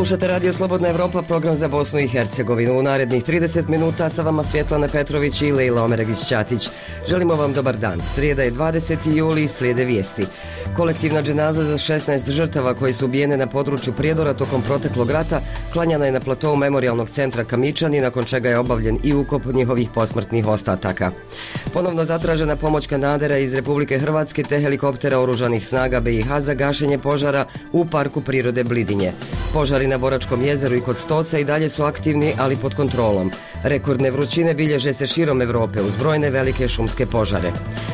Slušate Radio Slobodna Evropa, program za Bosnu i Hercegovinu. U narednih 30 minuta sa vama Svjetlana Petrović i Lejla Omeregić-Ćatić. Želimo vam dobar dan. Srijeda je 20. juli, slijede vijesti. Kolektivna dženaza za 16 žrtava koji su ubijene na području Prijedora tokom proteklog rata klanjana je na platovu memorijalnog centra Kamičani, nakon čega je obavljen i ukop njihovih posmrtnih ostataka. Ponovno zatražena pomoć kanadera iz Republike Hrvatske te helikoptera oružanih snaga BiH za gašenje požara u Parku prirode Blidinje. Požari na Boračkom jezeru i kod Stoca i dalje su aktivni, ali pod kontrolom. Rekordne vrućine bilježe se širom Europe uz brojne velike šumske požare.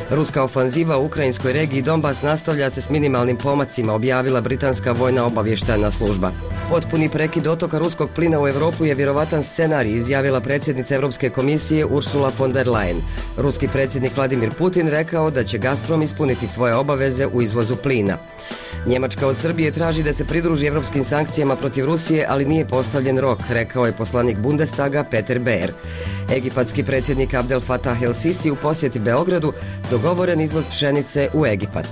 Ruska ofanziva u ukrajinskoj regiji Donbas nastavlja se s minimalnim pomacima, objavila britanska vojna obavještajna služba. Potpuni prekid dotoka ruskog plina u Europu je vjerovatan scenarij, izjavila predsjednica Europske komisije Ursula von der Leyen. Ruski predsjednik Vladimir Putin rekao da će Gazprom ispuniti svoje obaveze u izvozu plina. Njemačka od Srbije traži da se pridruži europskim sankcijama protiv Rusije, ali nije postavljen rok, rekao je poslanik Bundestaga Peter Beer. Egipatski predsjednik Abdel Fattah el-Sisi u posjeti Beogradu, dogovoren izvoz pšenice u Egipat.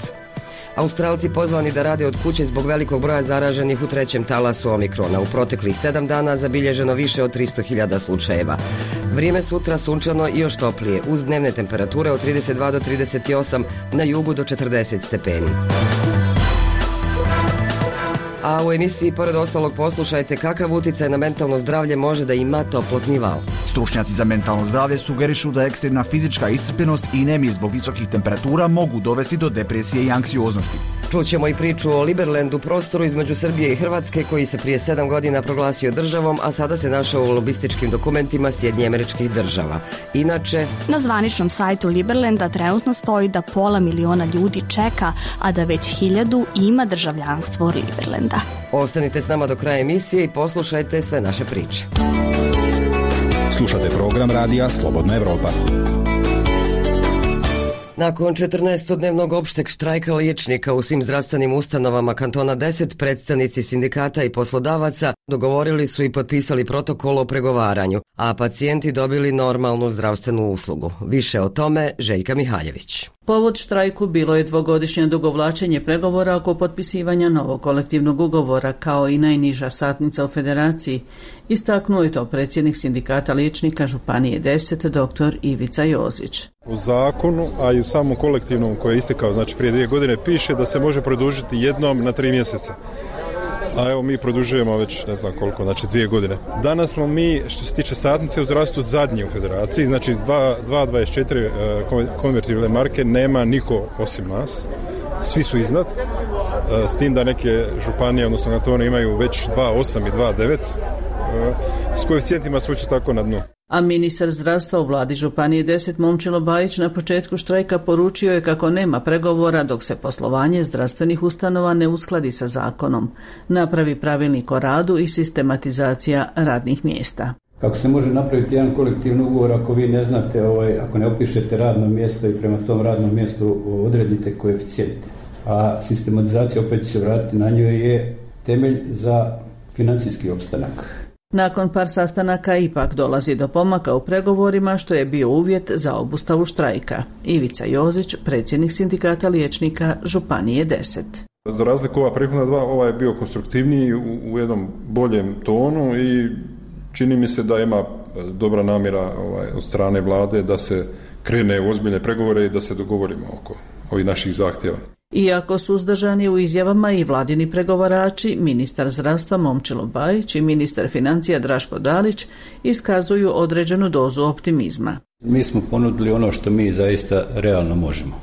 Australci pozvani da rade od kuće zbog velikog broja zaraženih u trećem talasu Omikrona. U proteklih 7 dana zabilježeno više od 300.000 slučajeva. Vrijeme sutra sunčano i još toplije, uz dnevne temperature od 32 do 38, na jugu do 40 stepeni. A u emisiji pored ostalog poslušajte kakav utjecaj na mentalno zdravlje može da ima toplotni val. Stručnjaci za mentalno zdravlje sugerišu da ekstremna fizička iscrpljenost i nemir zbog visokih temperatura mogu dovesti do depresije i anksioznosti. Čućemo i priču o Liberlandu, prostoru između Srbije i Hrvatske koji se prije 7 godina proglasio državom, a sada se našao u lobističkim dokumentima Sjedinjenih Američkih Država. Inače, na zvaničnom sajtu Liberlanda trenutno stoji da 500.000 ljudi čeka, a da već 1.000 ima državljanstvo Liberlanda. Ostanite s nama do kraja emisije i poslušajte sve naše priče. Slušate program radija Slobodna Evropa. Nakon 14-dnevnog opšteg štrajka liječnika u svim zdravstvenim ustanovama kantona 10, predstavnici sindikata i poslodavaca dogovorili su i potpisali protokol o pregovaranju, a pacijenti dobili normalnu zdravstvenu uslugu. Više o tome Željka Mihaljević. Povod štrajku bilo je dvogodišnje odugovlačenje pregovora oko potpisivanja novog kolektivnog ugovora, kao i najniža satnica u federaciji. Istaknuo je to predsjednik sindikata liječnika Županije 10, dr. Ivica Jozić. U zakonu, a i u samom kolektivnom koji je istekao, znači prije 2 godine, piše da se može produžiti jednom na 3 mjeseca. A evo mi produžujemo već ne znam koliko, znači 2 godine. Danas smo mi, što se tiče satnice u zdravstvu, zadnji u federaciji, znači 2.24 konvertibilne marke nema niko osim nas, svi su iznad, s tim da neke županije, odnosno kantoni imaju već 2.8 i 2.9, s koeficijentima smo tako na dnu. A ministar zdravstva u vladi Županije 10 Momčilo Bajić na početku štrajka poručio je kako nema pregovora dok se poslovanje zdravstvenih ustanova ne uskladi sa zakonom, napravi pravilnik o radu i sistematizacija radnih mjesta. Kako se može napraviti jedan kolektivni ugovor ako vi ne znate, ako ne opišete radno mjesto i prema tom radnom mjestu odredite koeficijent, a sistematizacija, opet će se vratiti na njoj, je temelj za financijski opstanak. Nakon par sastanaka ipak dolazi do pomaka u pregovorima, što je bio uvjet za obustavu štrajka. Ivica Jozić, predsjednik sindikata liječnika Županije 10. Za razliku ova prethodna dva, ovaj je bio konstruktivniji u jednom boljem tonu i čini mi se da ima dobra namjera od strane vlade da se krene u ozbiljne pregovore i da se dogovorimo oko ovih naših zahtjeva. Iako su uzdržani u izjavama i vladini pregovarači, ministar zdravstva Momčilo Bajić i ministar financija Draško Dalić iskazuju određenu dozu optimizma. Mi smo ponudili ono što mi zaista realno možemo.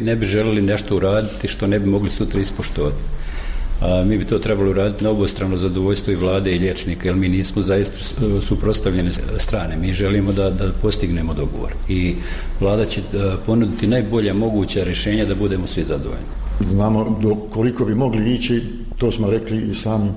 Ne bi želeli nešto uraditi što ne bi mogli sutra ispoštovati. Mi bi to trebalo uraditi na obostrano zadovoljstvo i vlade i liječnika, jer mi nismo zaista suprotstavljene strane. Mi želimo da postignemo dogovor i vlada će ponuditi najbolja moguća rješenja da budemo svi zadovoljni. Znamo do koliko bi mogli ići, to smo rekli i samim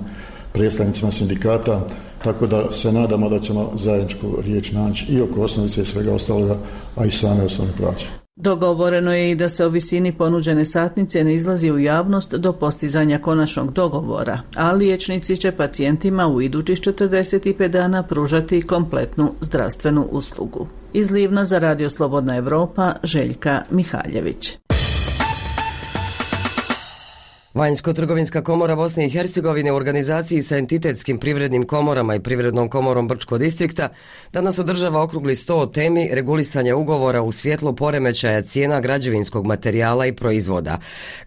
predstavnicima sindikata, tako da se nadamo da ćemo zajedničku riječ naći i oko osnovice i svega ostaloga, a i same osnovne plaće. Dogovoreno je i da se o visini ponuđene satnice ne izlazi u javnost do postizanja konačnog dogovora, a liječnici će pacijentima u idućih 45 dana pružati kompletnu zdravstvenu uslugu. Iz Livna za Radio Slobodna Evropa, Željka Mihaljević. Vanjsko-trgovinska komora Bosne i Hercegovine u organizaciji sa entitetskim privrednim komorama i privrednom komorom Brčko distrikta danas održava okrugli sto o temi regulisanja ugovora u svjetlu poremećaja cijena građevinskog materijala i proizvoda.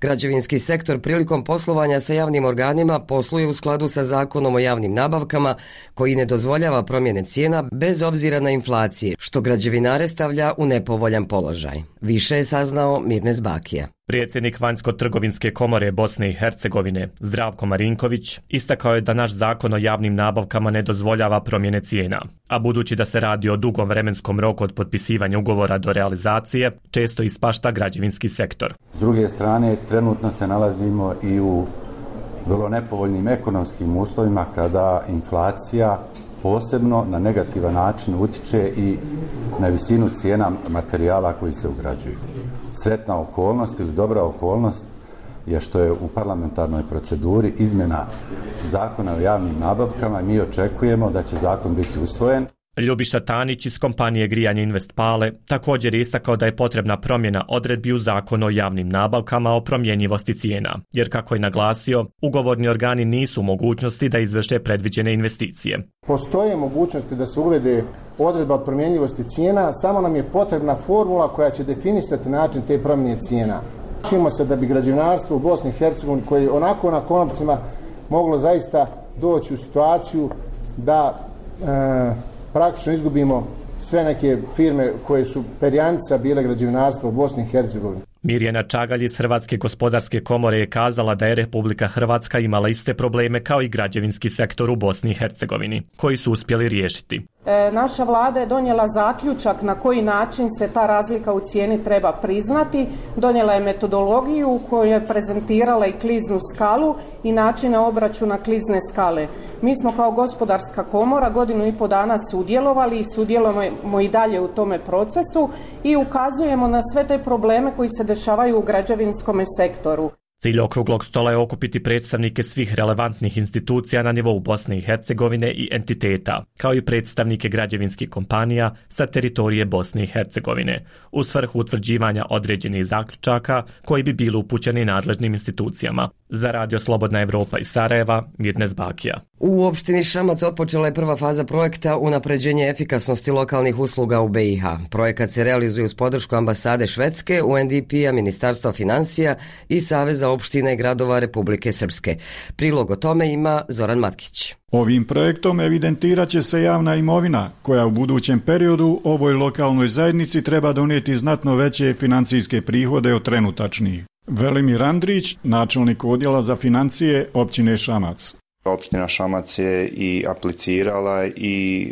Građevinski sektor prilikom poslovanja sa javnim organima posluje u skladu sa Zakonom o javnim nabavkama koji ne dozvoljava promjene cijena bez obzira na inflacije, što građevinare stavlja u nepovoljan položaj. Više je saznao Mirnes Bakija. Predsjednik Vanjsko-trgovinske komore Bosne i Hercegovine, Zdravko Marinković, istakao je da naš zakon o javnim nabavkama ne dozvoljava promjene cijena, a budući da se radi o dugom vremenskom roku od potpisivanja ugovora do realizacije, često ispašta građevinski sektor. S druge strane, trenutno se nalazimo i u vrlo nepovoljnim ekonomskim uslovima kada inflacija posebno na negativan način utječe i na visinu cijena materijala koji se ugrađuju. Sretna okolnost ili dobra okolnost je što je u parlamentarnoj proceduri izmjena zakona o javnim nabavkama i mi očekujemo da će zakon biti usvojen. Ljubiša Tanić iz kompanije Grijanje Investpale također je istakao da je potrebna promjena odredbi u zakonu o javnim nabavkama o promjenjivosti cijena, jer kako je naglasio, ugovorni organi nisu u mogućnosti da izvrše predviđene investicije. Postoje mogućnosti da se uvede odredba o promjenjivosti cijena, samo nam je potrebna formula koja će definisati način te promjene cijena. Čimo se da bi građevinarstvo u Bosni i Hercegovini, koji onako na konopcima moglo zaista doći u situaciju da praktično izgubimo sve neke firme koje su perjanica bile građevinarstva u Bosni i Hercegovini. Mirjana Čagalj iz Hrvatske gospodarske komore je kazala da je Republika Hrvatska imala iste probleme kao i građevinski sektor u Bosni i Hercegovini, koji su uspjeli riješiti. Naša vlada je donijela zaključak na koji način se ta razlika u cijeni treba priznati. Donijela je metodologiju u kojoj je prezentirala i kliznu skalu i načine obračuna klizne skale. Mi smo kao gospodarska komora 1,5 dana sudjelovali i sudjelujemo i dalje u tome procesu i ukazujemo na sve te probleme koji se dešavaju u građevinskom sektoru. Cilj okruglog stola je okupiti predstavnike svih relevantnih institucija na nivou Bosne i Hercegovine i entiteta, kao i predstavnike građevinskih kompanija sa teritorije Bosne i Hercegovine, u svrhu utvrđivanja određenih zaključaka koji bi bili upućeni nadležnim institucijama. Za Radio Slobodna Evropa iz Sarajeva, Mirnes Bakija. U opštini Šamac otpočela je prva faza projekta unapređenje efikasnosti lokalnih usluga u BiH. Projekat se realizuje uz podršku ambasade Švedske, UNDP-a, Ministarstva financija i Saveza opština i gradova Republike Srpske. Prilog o tome ima Zoran Matkić. Ovim projektom evidentirat će se javna imovina, koja u budućem periodu ovoj lokalnoj zajednici treba donijeti znatno veće financijske prihode od trenutačnih. Velimir Andrić, načelnik odjela za financije općine Šamac. Opština Šamac je i aplicirala i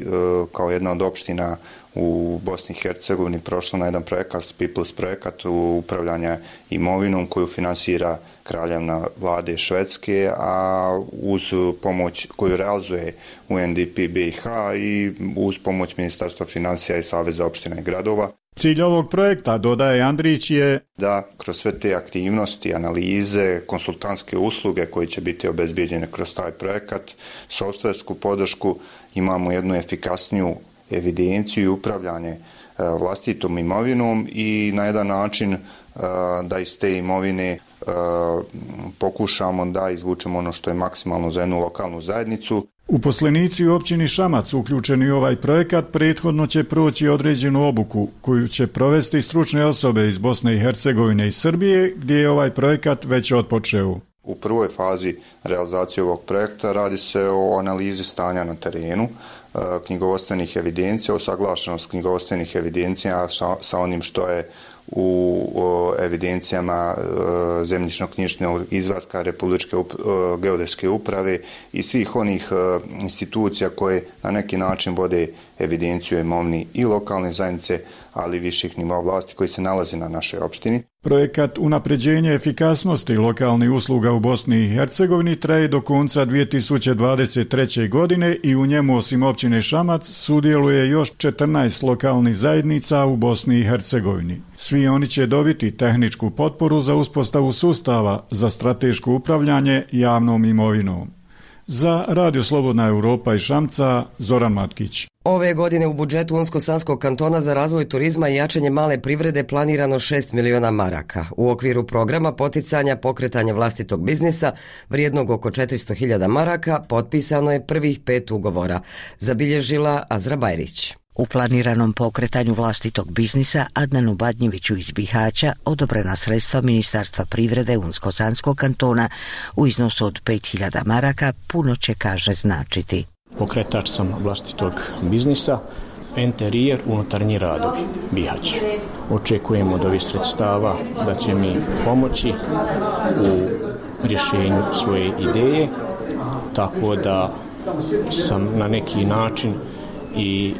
kao jedna od opština u Bosni i Hercegovini prošla na jedan projekat, People's projekat upravljanja imovinom koju finansira kraljevna vlade Švedske, a uz pomoć koju realizuje UNDP BiH i uz pomoć Ministarstva financija i Saveza opština i gradova. Cilj ovog projekta, dodaje Andrić, je da kroz sve te aktivnosti, analize, konsultantske usluge koje će biti obezbijeđene kroz taj projekat, softversku podršku, imamo jednu efikasniju evidenciju i upravljanje vlastitom imovinom i na jedan način da iz te imovine pokušamo da izvučemo ono što je maksimalno za jednu lokalnu zajednicu. Uposlenici u općini Šamac uključeni u ovaj projekat prethodno će proći određenu obuku koju će provesti stručne osobe iz Bosne i Hercegovine i Srbije, gdje je ovaj projekat već otpočeo. U prvoj fazi realizacije ovog projekta radi se o analizi stanja na terenu, knjigovodstvenih evidencija, usaglašenost knjigovodstvenih evidencija sa onim što je u evidencijama zemljišno-knjižnog izvatka Republičke geodetske uprave i svih onih institucija koje na neki način vode evidenciju imovini i lokalne zajednice, ali i viših nivoa vlasti koji se nalazi na našoj opštini. Projekat unapređenja efikasnosti lokalnih usluga u Bosni i Hercegovini traje do konca 2023. godine i u njemu osim općine Šamac sudjeluje još 14 lokalnih zajednica u Bosni i Hercegovini. Svi oni će dobiti tehničku potporu za uspostavu sustava za strateško upravljanje javnom imovinom. Za Radio Slobodna Europa iz Šamca, Zoran Matkić. Ove godine u budžetu Unsko-Sanskog kantona za razvoj turizma i jačanje male privrede planirano 6 miliona maraka. U okviru programa poticanja pokretanja vlastitog biznisa vrijednog oko 400.000 maraka potpisano je prvih 5 ugovora, zabilježila Azra Bajrić. U planiranom pokretanju vlastitog biznisa Adnanu Badnjeviću iz Bihaća odobrena sredstva Ministarstva privrede Unsko-Sanskog kantona u iznosu od 5.000 maraka puno će, kaže, značiti. Pokretač sam vlastitog biznisa, interijer, unutarnji radovi, Bihać. Očekujemo od ovih sredstava da će mi pomoći u rješenju svoje ideje, tako da sam na neki način i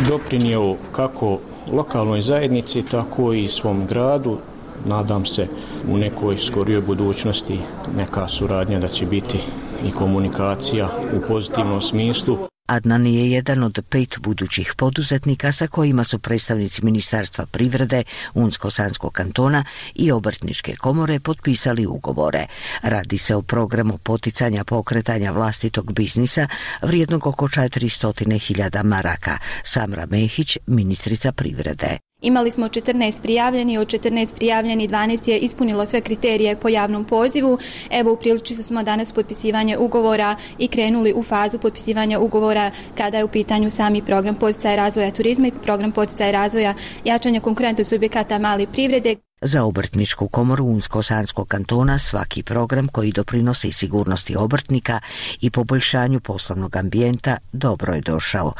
doprinio kako lokalnoj zajednici, tako i svom gradu. Nadam se u nekoj skorijoj budućnosti neka suradnja da će biti i komunikacija u pozitivnom smislu. Adnan je jedan od 5 budućih poduzetnika sa kojima su predstavnici Ministarstva privrede Unsko-Sanskog kantona i Obrtničke komore potpisali ugovore. Radi se o programu poticanja pokretanja vlastitog biznisa vrijednog oko 400.000 maraka. Samra Mehić, ministrica privrede. Imali smo 14 prijavljeni, od 14 prijavljeni 12 je ispunilo sve kriterije po javnom pozivu. Evo, upriličili smo danas potpisivanje ugovora i krenuli u fazu potpisivanja ugovora kada je u pitanju sami program poticaja razvoja turizma i program poticaja razvoja jačanja konkurentnosti subjekata male privrede. Za Obrtničku komoru Unsko-Sanskog kantona svaki program koji doprinosi sigurnosti obrtnika i poboljšanju poslovnog ambijenta dobro je došao,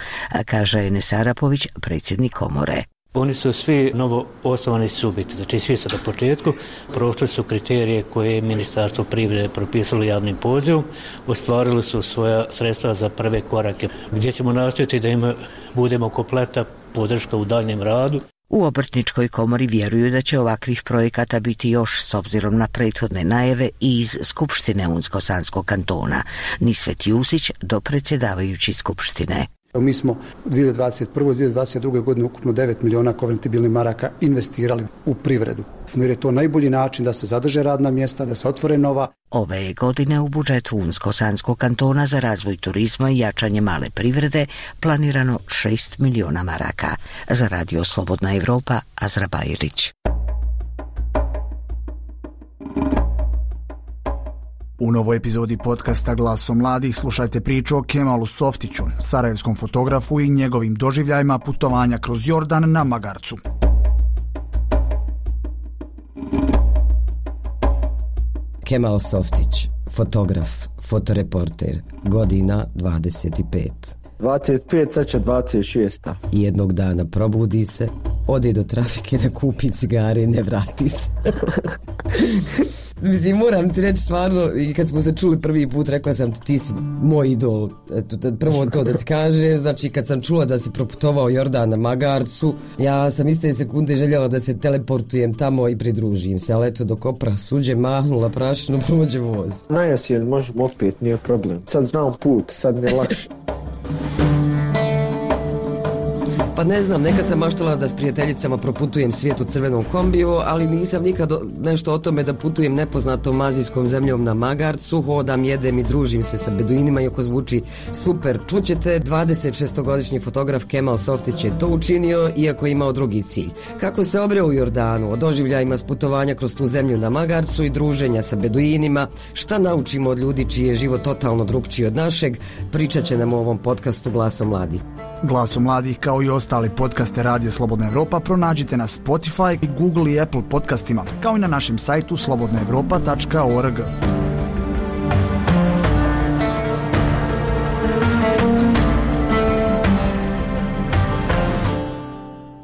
kaže Enes Arapović, predsjednik komore. Oni su svi novo osnovani subjekti, znači svi su na početku, prošli su kriterije koje je Ministarstvo privrede propisalo javnim pozivom, ostvarili su svoja sredstva za prve korake, gdje ćemo nastojati da budemo kompleta podrška u daljnjem radu. U Obrtničkoj komori vjeruju da će ovakvih projekata biti još s obzirom na prethodne najave i iz Skupštine Unsko-Sanskog kantona. Nisvet Jusić, dopredsjedavajući Skupštine. Mi smo u 2021. i 2022. godine ukupno 9 miliona konvertibilnih maraka investirali u privredu. Jer je to najbolji način da se zadrže radna mjesta, da se otvore nova. Ove je godine u budžetu Unsko-Sanskog kantona za razvoj turizma i jačanje male privrede planirano 6 miliona maraka. Za Radio Slobodna Evropa, Azra Bajrić. U novoj epizodi podcasta Glaso mladih slušajte priču o Kemalu Softiću, sarajevskom fotografu i njegovim doživljajima putovanja kroz Jordan na magarcu. Kemal Softić, fotograf, fotoreporter, godina 25. 25, sad će 26. Jednog dana probudi se, ode do trafike da kupi cigare i ne vrati se. Mislim, moram ti reći stvarno, i kad smo se čuli prvi put, rekla sam ti si moj idol. Prvo to da ti kažem, znači kad sam čula da si proputovao Jordan na magarcu, ja sam iste sekunde željela da se teleportujem tamo i pridružim se, ali eto dok opra suđe mahnula prašinu, prođe voz. Najjesen, možemo opet, nije problem. Sad znam put, sad mi je lakše. Pa ne znam, nekad sam maštala da s prijateljicama proputujem svijet u crvenom kombiju, ali nisam nikad nešto o tome da putujem nepoznatom azijskom zemljom na magarcu, hodam, jedem i družim se sa beduinima, iako zvuči super. Čućete, 26-godišnji fotograf Kemal Softić je to učinio, iako je imao drugi cilj. Kako se obreo u Jordanu, o doživljajima s putovanja kroz tu zemlju na magarcu i druženja sa beduinima, šta naučimo od ljudi čiji je život totalno drugčiji od našeg, pričat će nam u ovom podcastu Glaso mladih. Glaso mladih, kao i ostali podcaste Radija Slobodna Evropa, pronađite na Spotify, Google i Apple podcastima, kao i na našem sajtu slobodnaevropa.org.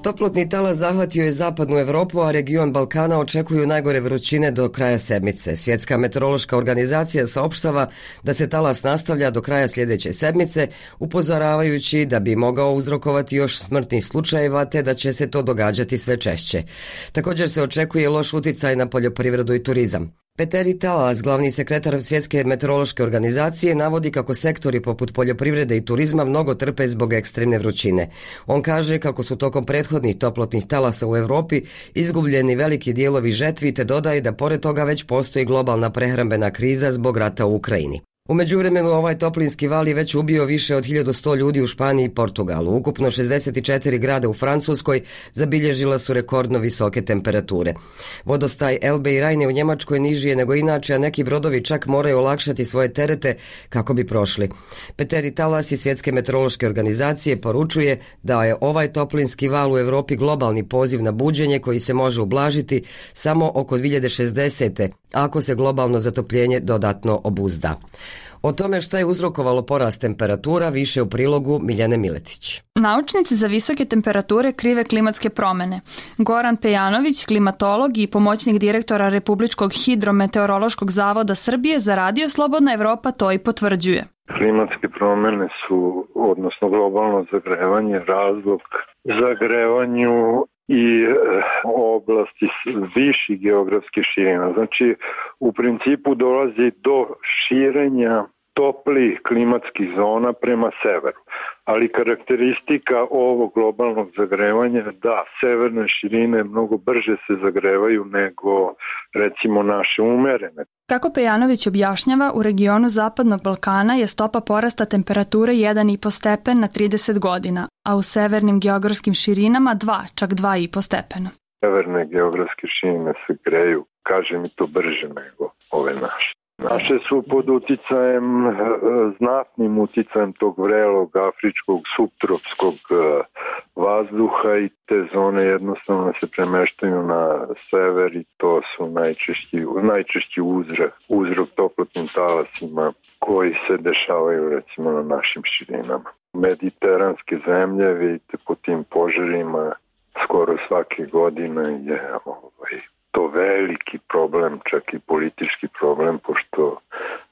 Toplotni talas zahvatio je zapadnu Evropu, a region Balkana očekuju najgore vrućine do kraja sedmice. Svjetska meteorološka organizacija saopštava da se talas nastavlja do kraja sljedeće sedmice, upozoravajući da bi mogao uzrokovati još smrtnih slučajeva, te da će se to događati sve češće. Također se očekuje loš uticaj na poljoprivredu i turizam. Peteri Talas, glavni sekretar Svjetske meteorološke organizacije, navodi kako sektori poput poljoprivrede i turizma mnogo trpe zbog ekstremne vrućine. On kaže kako su tokom prethodnih toplotnih talasa u Europi izgubljeni veliki dijelovi žetvi, te dodaje da pored toga već postoji globalna prehrambena kriza zbog rata u Ukrajini. U međuvremenu ovaj toplinski val je već ubio više od 1100 ljudi u Španiji i Portugalu. Ukupno 64 grada u Francuskoj zabilježila su rekordno visoke temperature. Vodostaj Elbe i Rajne u Njemačkoj niži je nego inače, a neki brodovi čak moraju olakšati svoje terete kako bi prošli. Peteri Talas iz Svjetske meteorološke organizacije poručuje da je ovaj toplinski val u Europi globalni poziv na buđenje koji se može ublažiti samo oko 2060. ako se globalno zatopljenje dodatno obuzda. O tome šta je uzrokovalo porast temperatura više u prilogu Miljane Miletić. Naučnici za visoke temperature krive klimatske promjene. Goran Pejanović, klimatolog i pomoćnik direktora Republičkog hidrometeorološkog zavoda Srbije za Radio Slobodna Evropa to i potvrđuje. Klimatske promjene su, odnosno globalno zagrevanje, razlog zagrevanju i oblasti viših geografskih širina. Znači, u principu dolazi do širenja toplih klimatskih zona prema severu. Ali karakteristika ovog globalnog zagrevanja je da severne širine mnogo brže se zagrevaju nego recimo naše umerene. Kako Pejanović objašnjava, u regionu Zapadnog Balkana je stopa porasta temperature 1,5 stepen na 30 godina, a u severnim geografskim širinama 2, čak 2,5 stepena. Severne geografske širine se greju, kaže mi to brže nego ove naše. Naše su pod uticajem, znatnim uticajem tog vrelog afričkog subtropskog vazduha i te zone jednostavno se premeštaju na sever i to su najčešći uzrok toplotnim talasima koji se dešavaju recimo na našim širinama. Mediteranske zemlje, vidite, po tim požarima skoro svake godine je to veliki problem, čak i politički problem, pošto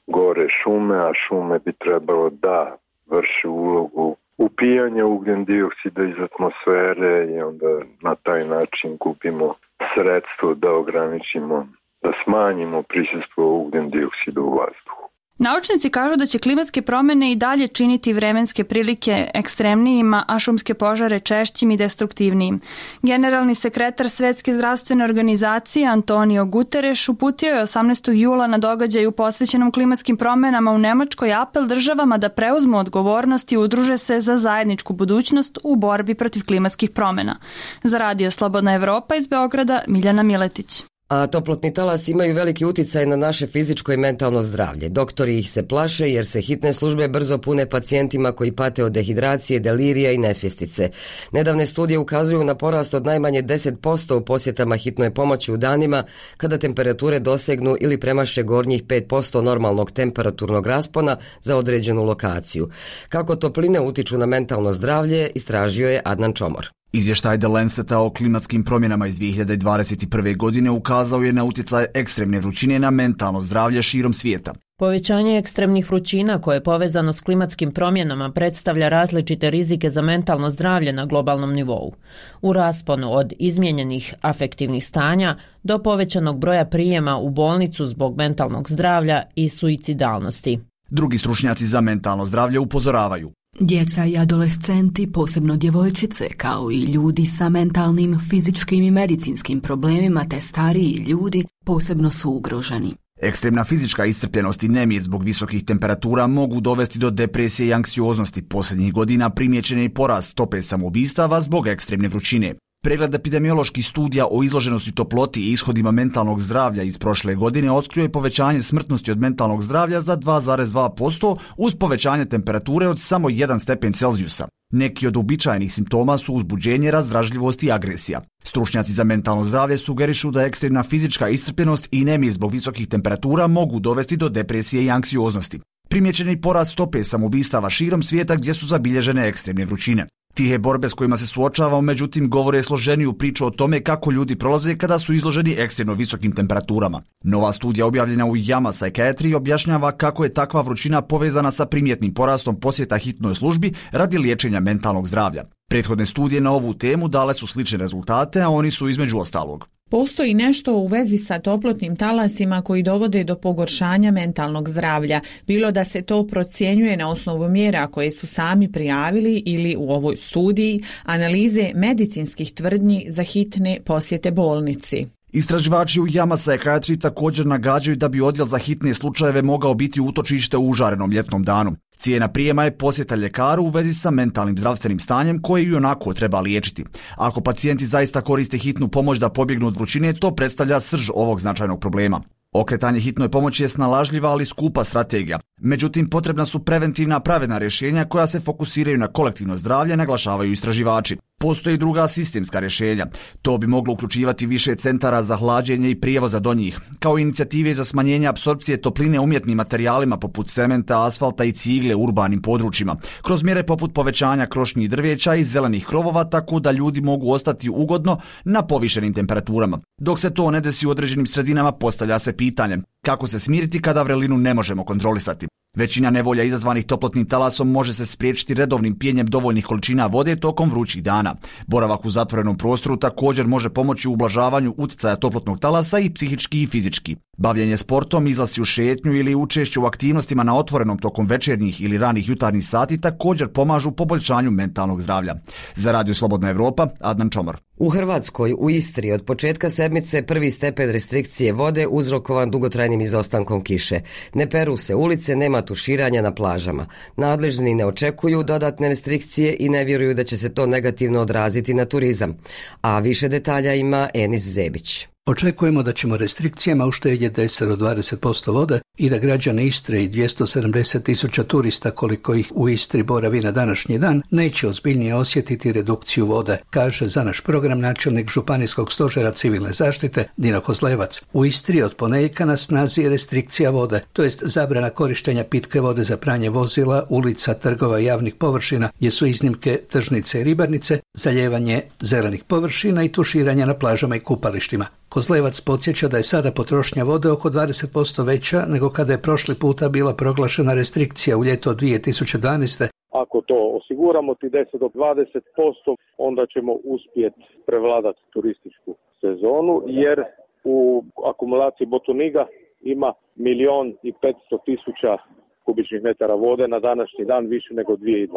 gore šume, a šume bi trebalo da vrše ulogu upijanja ugljen dioksida iz atmosfere i onda na taj način gubimo sredstvo da ograničimo, da smanjimo prisustvo ugljen dioksida u vazduhu. Naučnici kažu da će klimatske promjene i dalje činiti vremenske prilike ekstremnijima, a šumske požare češćim i destruktivnijim. Generalni sekretar Svjetske zdravstvene organizacije Antonio Guterres uputio je 18. jula na događaju posvećenom klimatskim promjenama u Nemačkoj apel državama da preuzmu odgovornost i udruže se za zajedničku budućnost u borbi protiv klimatskih promjena. Za Radio Slobodna Evropa iz Beograda, Miljana Miletić. A toplotni talas imaju veliki uticaj na naše fizičko i mentalno zdravlje. Doktori ih se plaše jer se hitne službe brzo pune pacijentima koji pate od dehidracije, delirija i nesvjestice. Nedavne studije ukazuju na porast od najmanje 10% u posjetama hitnoj pomoći u danima kada temperature dosegnu ili premaše gornjih 5% normalnog temperaturnog raspona za određenu lokaciju. Kako topline utiču na mentalno zdravlje, istražio je Adnan Čomor. Izvještaj The Lanceta o klimatskim promjenama iz 2021. godine ukazao je na utjecaj ekstremne vrućine na mentalno zdravlje širom svijeta. Povećanje ekstremnih vrućina koje je povezano s klimatskim promjenama predstavlja različite rizike za mentalno zdravlje na globalnom nivou. U rasponu od izmijenjenih afektivnih stanja do povećanog broja prijema u bolnicu zbog mentalnog zdravlja i suicidalnosti. Drugi stručnjaci za mentalno zdravlje upozoravaju. Djeca i adolescenti, posebno djevojčice, kao i ljudi sa mentalnim, fizičkim i medicinskim problemima te stariji ljudi, posebno su ugroženi. Ekstremna fizička iscrpljenost i nemir zbog visokih temperatura mogu dovesti do depresije i anksioznosti. Posljednjih godina primijećen je porast stope samoubistava zbog ekstremne vrućine. Pregled epidemioloških studija o izloženosti toploti i ishodima mentalnog zdravlja iz prošle godine otkrio je povećanje smrtnosti od mentalnog zdravlja za 2,2% uz povećanje temperature od samo 1 stepen Celzijusa. Neki od uobičajenih simptoma su uzbuđenje, razdražljivost i agresija. Stručnjaci za mentalno zdravlje sugerišu da ekstremna fizička iscrpljenost i nemir zbog visokih temperatura mogu dovesti do depresije i anksioznosti. Primijećen je porast stope samoubistava širom svijeta gdje su zabilježene ekstremne vrućine. Tihe borbe s kojima se suočavamo, međutim, govore složeniju priču o tome kako ljudi prolaze kada su izloženi ekstremno visokim temperaturama. Nova studija objavljena u JAMA Psychiatry objašnjava kako je takva vrućina povezana sa primjetnim porastom posjeta hitnoj službi radi liječenja mentalnog zdravlja. Prethodne studije na ovu temu dale su slične rezultate, a oni su između ostalog. Postoji nešto u vezi sa toplotnim talasima koji dovode do pogoršanja mentalnog zdravlja, bilo da se to procjenjuje na osnovu mjera koje su sami prijavili ili u ovoj studiji analize medicinskih tvrdnji za hitne posjete bolnici. Istraživači u Yama Psychiatry također nagađaju da bi odjel za hitne slučajeve mogao biti utočište u užarenom ljetnom danu. Cijena prijema je posjeta ljekaru u vezi sa mentalnim zdravstvenim stanjem koje i onako treba liječiti. Ako pacijenti zaista koriste hitnu pomoć da pobjegnu od vrućine, to predstavlja srž ovog značajnog problema. Okretanje hitnoj pomoći je snalažljiva, ali skupa strategija. Međutim, potrebna su preventivna pravedna rješenja koja se fokusiraju na kolektivno zdravlje, naglašavaju istraživači. Postoji druga sistemska rješenja. To bi moglo uključivati više centara za hlađenje i prijevoza do njih, kao inicijative za smanjenje apsorpcije topline umjetnim materijalima poput cementa, asfalta i cigle u urbanim područjima, kroz mjere poput povećanja krošnji drveća i zelenih krovova, tako da ljudi mogu ostati ugodno na povišenim temperaturama. Dok se to ne desi u određenim sredinama, postavlja se pitanje kako se smiriti kada vrelinu ne možemo kontrolisati. Većina nevolja izazvanih toplotnim talasom može se spriječiti redovnim pijenjem dovoljnih količina vode tokom vrućih dana. Boravak u zatvorenom prostoru također može pomoći u ublažavanju utjecaja toplotnog talasa i psihički i fizički. Bavljenje sportom, izlasci u šetnju ili učešće u aktivnostima na otvorenom tokom večernjih ili ranih jutarnjih sati također pomažu poboljšanju mentalnog zdravlja. Za Radio Slobodna Evropa, Adnan Čomor. U Hrvatskoj, u Istri, od početka sedmice prvi stepen restrikcije vode uzrokovan dugotrajnim izostankom kiše. Ne peru se ulice, nema tuširanja na plažama. Nadležni ne očekuju dodatne restrikcije i ne vjeruju da će se to negativno odraziti na turizam. A više detalja ima Enis Zebić. Očekujemo da ćemo restrikcijama uštedjeti 10 do 20% vode i da građani Istre i 270.000 turista koliko ih u Istri boravi na današnji dan neće ozbiljnije osjetiti redukciju vode, kaže za naš program načelnik Županijskog stožera civilne zaštite Dino Kozlevac. U Istri od ponedjeljka na snazi je restrikcija vode, to jest zabrana korištenja pitke vode za pranje vozila, ulica, trgova i javnih površina, gdje su iznimke tržnice i ribarnice, zalijevanje zelenih površina i tuširanja na plažama i kupalištima. Kozlevac podsjeća da je sada potrošnja vode oko 20% veća nego kada je prošli puta bila proglašena restrikcija u ljeto 2012. Ako to osiguramo ti 10 do 20%, onda ćemo uspjeti prevladati turističku sezonu, jer u akumulaciji Botuniga ima 1.500.000 kubičnih metara vode na današnji dan, više nego 2012.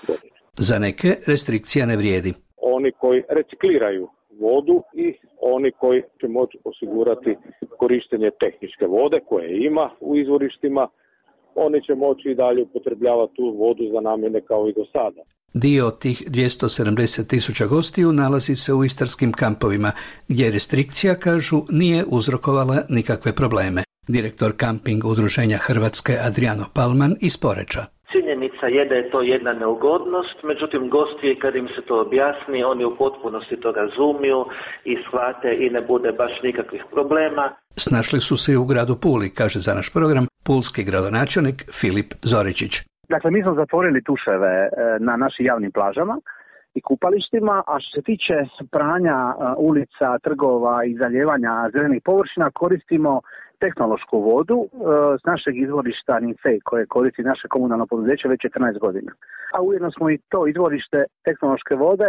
godine. Za neke restrikcija ne vrijedi. Oni koji recikliraju vodu i oni koji će moći osigurati korištenje tehničke vode koje ima u izvorištima, oni će moći i dalje upotrebljavati tu vodu za namjene kao i do sada. Dio tih 270.000 gostiju nalazi se u istarskim kampovima, gdje restrikcija, kažu, nije uzrokovala nikakve probleme. Direktor kamping udruženja Hrvatske Adriano Palman iz Poreča. Činjenica je da je to jedna neugodnost, međutim gosti kad im se to objasni, oni u potpunosti to razumiju i shvate i ne bude baš nikakvih problema. Snašli su se i u gradu Puli, kaže za naš program pulski gradonačelnik Filip Zoričić. Dakle, mi smo zatvorili tuševe na našim javnim plažama i kupalištima, a što se tiče pranja ulica, trgova i zalijevanja zelenih površina, koristimo tehnološku vodu s našeg izvorišta Ninfej koje koristi naše komunalno poduzeće već 14 godina. A ujedno smo i to izvorište tehnološke vode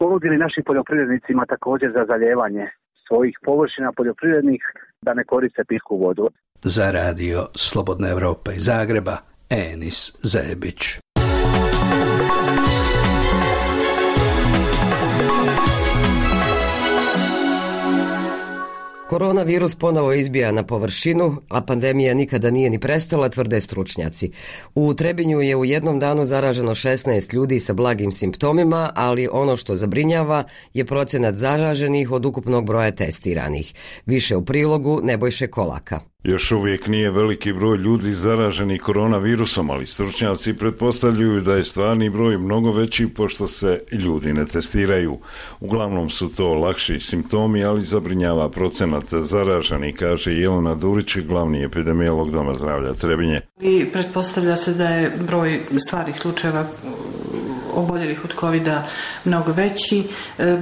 ponudili našim poljoprivrednicima također za zalijevanje svojih površina poljoprivrednih da ne koriste pitku vodu. Za Radio Slobodna Evropa iz Zagreba, Enis Zebić. Koronavirus ponovo izbija na površinu, a pandemija nikada nije ni prestala, tvrde stručnjaci. U Trebinju je u jednom danu zaraženo 16 ljudi sa blagim simptomima, ali ono što zabrinjava je procenat zaraženih od ukupnog broja testiranih. Više u prilogu Nebojše Kolaka. Još uvijek nije veliki broj ljudi zaraženih koronavirusom, ali stručnjaci pretpostavljaju da je stvarni broj mnogo veći pošto se ljudi ne testiraju. Uglavnom su to lakši simptomi, ali zabrinjava procenat zaraženih, kaže Jelena Durić, glavni epidemiolog Doma zdravlja Trebinje. I pretpostavlja se da je broj stvarnih slučajeva oboljelih od COVID-a mnogo veći,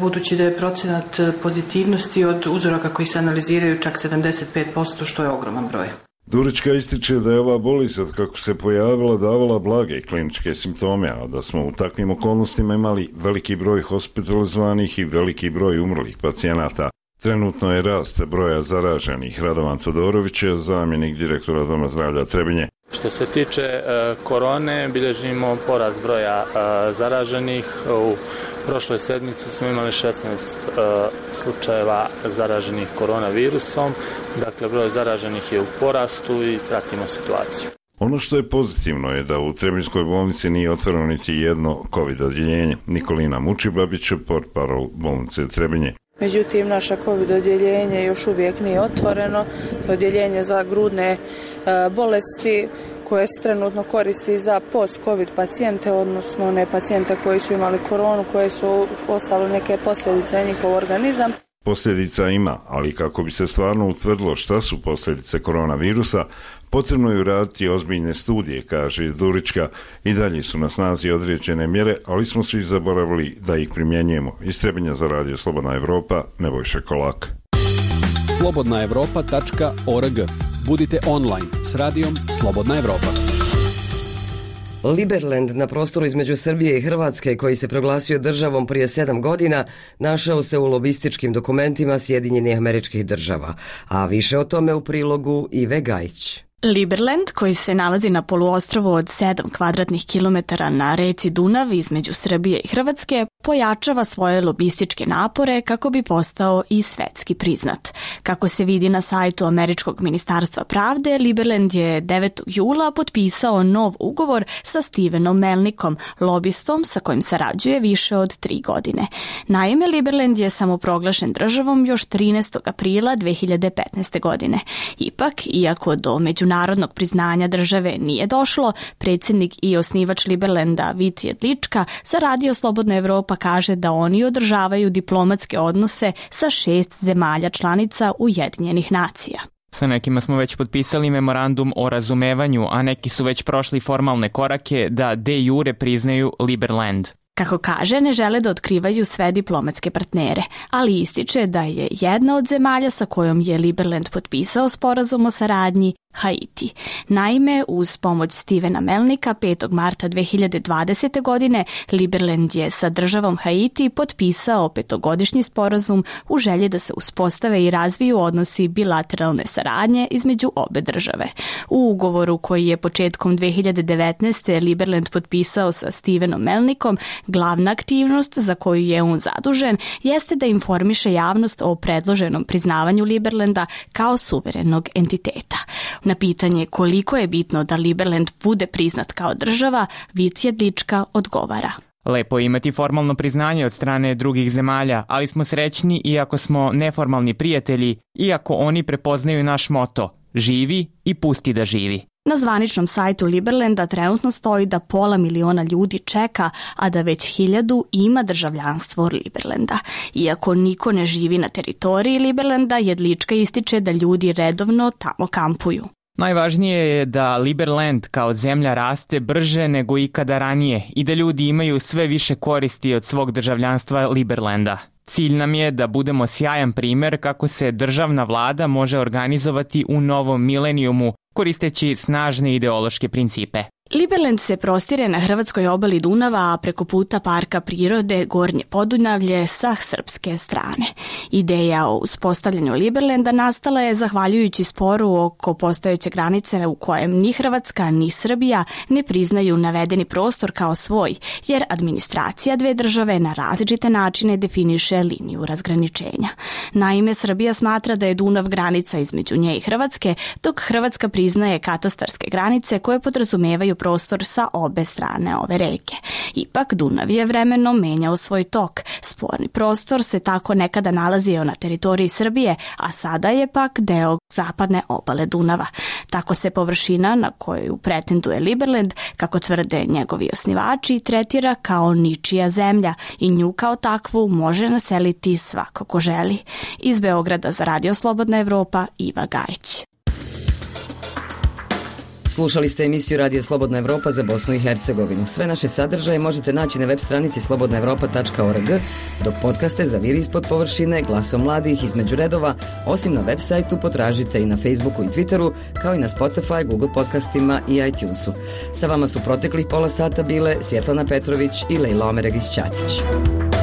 budući da je procenat pozitivnosti od uzoraka koji se analiziraju čak 75%, što je ogroman broj. Durička ističe da je ova bolest od kako se pojavila davala blage kliničke simptome, a da smo u takvim okolnostima imali veliki broj hospitalizovanih i veliki broj umrlih pacijenata. Trenutno je rast broja zaraženih. Radovan Todorović je zamjenik direktora Doma zdravlja Trebinje. Što se tiče korone, bilježimo porast broja zaraženih. U prošloj sedmici smo imali 16 slučajeva zaraženih koronavirusom. Dakle, broj zaraženih je u porastu i pratimo situaciju. Ono što je pozitivno je da u Trebinjskoj bolnici nije otvoreno niti jedno COVID odjeljenje. Nikolina Mučibabić, portparol bolnice Trebinje. Međutim, naša COVID odjeljenje još uvijek nije otvoreno. Odjeljenje za grudne bolesti koje se trenutno koristi za post-COVID pacijente, odnosno one pacijente koji su imali koronu, koje su ostale neke posljedice na njihov organizam. Posljedica ima, ali kako bi se stvarno utvrdilo šta su posljedice koronavirusa, potrebno je uraditi ozbiljne studije, kaže Durička. I dalje su na snazi određene mjere, ali smo svi zaboravili da ih primjenjujemo. Iz Trebinja za radio Slobodna Evropa, Nebojša Kolak. slobodnaevropa.org. Budite online s radijom Slobodna Evropa. Liberland na prostoru između Srbije i Hrvatske, koji se proglasio državom prije 7 godina, našao se u lobističkim dokumentima Sjedinjenih Američkih Država. A više o tome u prilogu Ive Gajić. Liberland, koji se nalazi na poluostrvu od 7 kvadratnih kilometara na reci Dunav između Srbije i Hrvatske, pojačava svoje lobističke napore kako bi postao i svetski priznat. Kako se vidi na sajtu Američkog ministarstva pravde, Liberland je 9. jula potpisao nov ugovor sa Stevenom Melnikom, lobistom sa kojim sarađuje više od 3 godine. Naime, Liberland je samoproglašen državom još 13. aprila 2015. godine. Ipak, iako do međunarodnog priznanja države nije došlo, predsjednik i osnivač Liberlanda Vit Jedlička za radio Slobodna Evropa kaže da oni održavaju diplomatske odnose sa 6 zemalja članica Ujedinjenih nacija. Sa nekima smo već potpisali memorandum o razumevanju, a neki su već prošli formalne korake da de jure priznaju Liberland. Kako kaže, ne žele da otkrivaju sve diplomatske partnere, ali ističe da je jedna od zemalja sa kojom je Liberland potpisao sporazum o saradnji Haiti. Naime, uz pomoć Stevena Melnika 5. marta 2020. godine Liberland je sa državom Haiti potpisao 5-godišnji sporazum u želji da se uspostave i razviju odnosi bilateralne saradnje između obe države. U ugovoru koji je početkom 2019. Liberland potpisao sa Stevenom Melnikom, glavna aktivnost za koju je on zadužen jeste da informiše javnost o predloženom priznavanju Liberlanda kao suverenog entiteta. Na pitanje koliko je bitno da Liberland bude priznat kao država, Vit Jedlička odgovara. Lepo je imati formalno priznanje od strane drugih zemalja, ali smo srećni iako smo neformalni prijatelji, iako oni prepoznaju naš moto – živi i pusti da živi. Na zvaničnom sajtu Liberlanda trenutno stoji da 500.000 ljudi čeka, a da već 1.000 ima državljanstvo Liberlanda. Iako niko ne živi na teritoriji Liberlanda, Jedlička ističe da ljudi redovno tamo kampuju. Najvažnije je da Liberland kao zemlja raste brže nego ikada ranije i da ljudi imaju sve više koristi od svog državljanstva Liberlanda. Cilj nam je da budemo sjajan primjer kako se državna vlada može organizovati u novom milenijumu koristeći snažne ideološke principe. Liberland se prostire na hrvatskoj obali Dunava, a preko puta parka prirode Gornje Podunavlje sa srpske strane. Ideja o uspostavljanju Liberlanda nastala je zahvaljujući sporu oko postojeće granice u kojem ni Hrvatska ni Srbija ne priznaju navedeni prostor kao svoj, jer administracija dve države na različite načine definiše liniju razgraničenja. Naime, Srbija smatra da je Dunav granica između nje i Hrvatske, dok Hrvatska priznaje katastarske granice koje podrazumevaju prostor sa obe strane ove reke. Ipak Dunav je vremenom menjao svoj tok. Sporni prostor se tako nekada nalazio na teritoriji Srbije, a sada je pak deo zapadne obale Dunava. Tako se površina na koju pretenduje Liberland, kako tvrde njegovi osnivači, tretira kao ničija zemlja i nju kao takvu može naseliti svako ko želi. Iz Beograda za radio Slobodna Evropa, Iva Gajić. Slušali ste emisiju Radio Slobodna Evropa za Bosnu i Hercegovinu. Sve naše sadržaje možete naći na web stranici slobodnaevropa.org, dok podcaste Zaviri ispod površine, Glasom mladih, Između redova, osim na web sajtu potražite i na Facebooku i Twitteru, kao i na Spotify, Google podcastima i iTunesu. Sa vama su proteklih pola sata bile Svjetlana Petrović i Lejla Omeregić-Ćatić.